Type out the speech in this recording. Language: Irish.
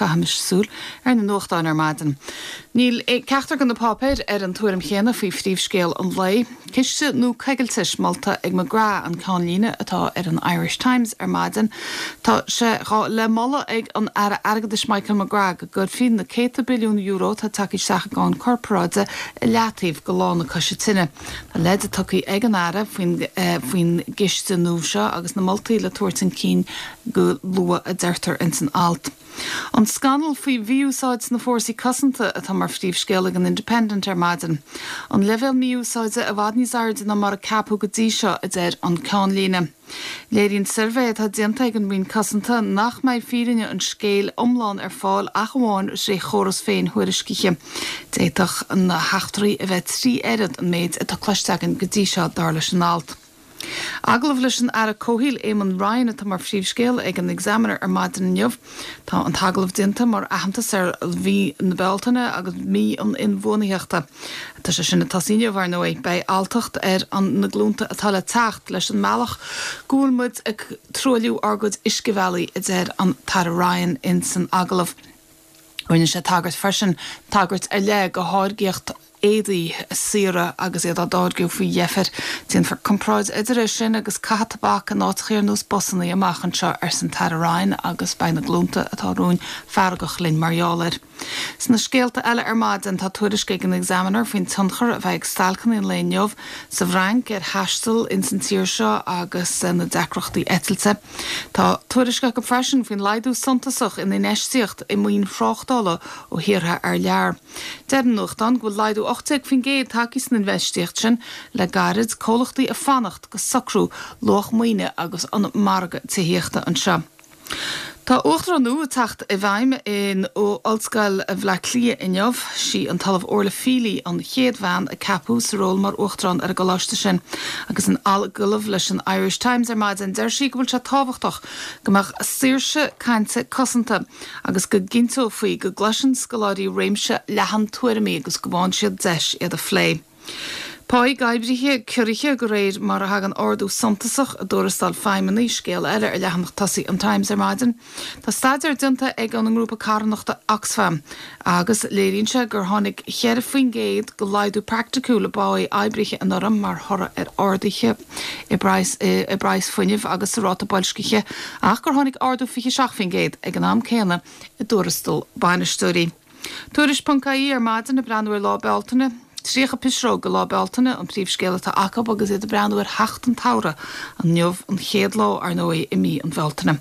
Caithimis súil ar na nuachtáin ar maidin. Níl ceachtar de na páipéir ar an tuairim chéanna faoi phríomhscéal an lae. Ciste nua coigiltis molta ag McGrath an ceannlíne atá ar an Irish Times ar maidin. Tá sé le moladh ag an Aire Airgeadais Michael McGrath go gcuirfí na céadta billiún euro atá tagtha isteach i gcáin corparáide i leataobh go lá na coise tinne. Tá leide tugtha ag an Aire faoin gciste nua seo agus na moltaí le tabhairt chun cinn go luath a deirtear ins an alt. An scannal faoi mhí-úsáid sna fórsaí cosanta atá mar phríomhscéal ag an Independent ar maidin. An leibhéal mí-úsáide i bhfad níos airde ná mar a ceapadh go dtí seo, a deir an ceannlíne. Léiríonn suirbhé atá déanta ag an Roinn Cosanta nach mbeidh fírinne an scéil iomlán ar fáil ach amháin tré chóras féin-thuairiscithe. D'fhéadfadh na heachtraí a bheith 3 oiread an méid atá cloiste againn go dtí seo, dar leis an alt. Agallamh leis an Aire Comhshaoil Eamon Ryan atá mar phríomhscéal ag an Examiner ar maidin inniu. Tá an t-agallamh déanta mar aitheantas ar mhí na Bealtaine agus mí an inbhuanaitheachta. Tá sé sin ag tosaí inniu, ar ndóigh. Beidh alltacht ar an na glúnta atá le teacht leis an mbealach go bhfuil muid ag truailliú ár gcuid uiscebhealaí, a deir an tAire Ryan ins an agallamh. Rinne sé tagairt freisin, tagairt ar leith go tháirgíocht éadaí saora agus iad á dtáirgeadh faoi dheifir. Déanfar comparáid idir é sin agus caitheamh tobac in áiteachaí ar nós busannaí amach anseo, arsa an tAire Ryan, agus beidh na glúnta atá romhainn feargach linn mar gheall air. Sna scéalta eile ar maidin, tá tuairisc ag an Examiner faoin tionchar a bheidh ag stailceanna an lae inniu sa bhFrainc ar thaisteal ins an tír seo agus na deacrachtaí eitilte. Tá tuairisc acu freisin faoin laghdú suntasach in infheistíocht i maoin thráchtála ó thíortha thar lear. Deir an nuachtán go bhfuil laghdú 18% tagtha san infheistíocht sin le gairid, comhlachtaí ag fanacht go socrú luach maoine agus an margadh tithíochta anseo. Tá Uachtarán nua ag teacht i bhfeidhm in Ollscoil Bhaile Átha Cliath inniu. Sí an tOllamh Orla Feely an chéad bhean a ceapadh sa ról mar Uachtarán ar an gcoláiste sin. Agus in agallamh leis an Irish Times ar maidin deir sí go bhfuil sé tábhachtach go mbeadh saoirse cainte cosanta agus go gcinnteofaí go gcloiseann scoláirí réimse leathan tuairimí agus go bhfaigheann siad deis iad a phlé. Páí d'oibrithe ciorraithe de réir mar a thagann ardú suntasach i dtuarastail feidhmeannaigh, scéal eile ar leathanach tosaigh an Times ar maidin. Tá staidéar déanta ag an ngrúpa carthanachta Oxfam agus léiríonn sé gur tháinig 4% de laghdú praiticiúil i bpáí oibrithe anuraidh mar thoradh ar arduithe i bpraghas fuinnimh agus sa ráta boilscithe ach gur tháinig ardú 27% ag an am céanna i dtuarastal bainisteoirí. Tuairisc ponc ie ar maidin ag breathnú ar Lá Bealtaine. 30 pisreog do Lá Bealtaine an príomhscéal atá acu agus iad ag breathnú ar theacht an tsamhraidh, inniu an chéad lá, ar ndóigh, i mí an Bhealtaine.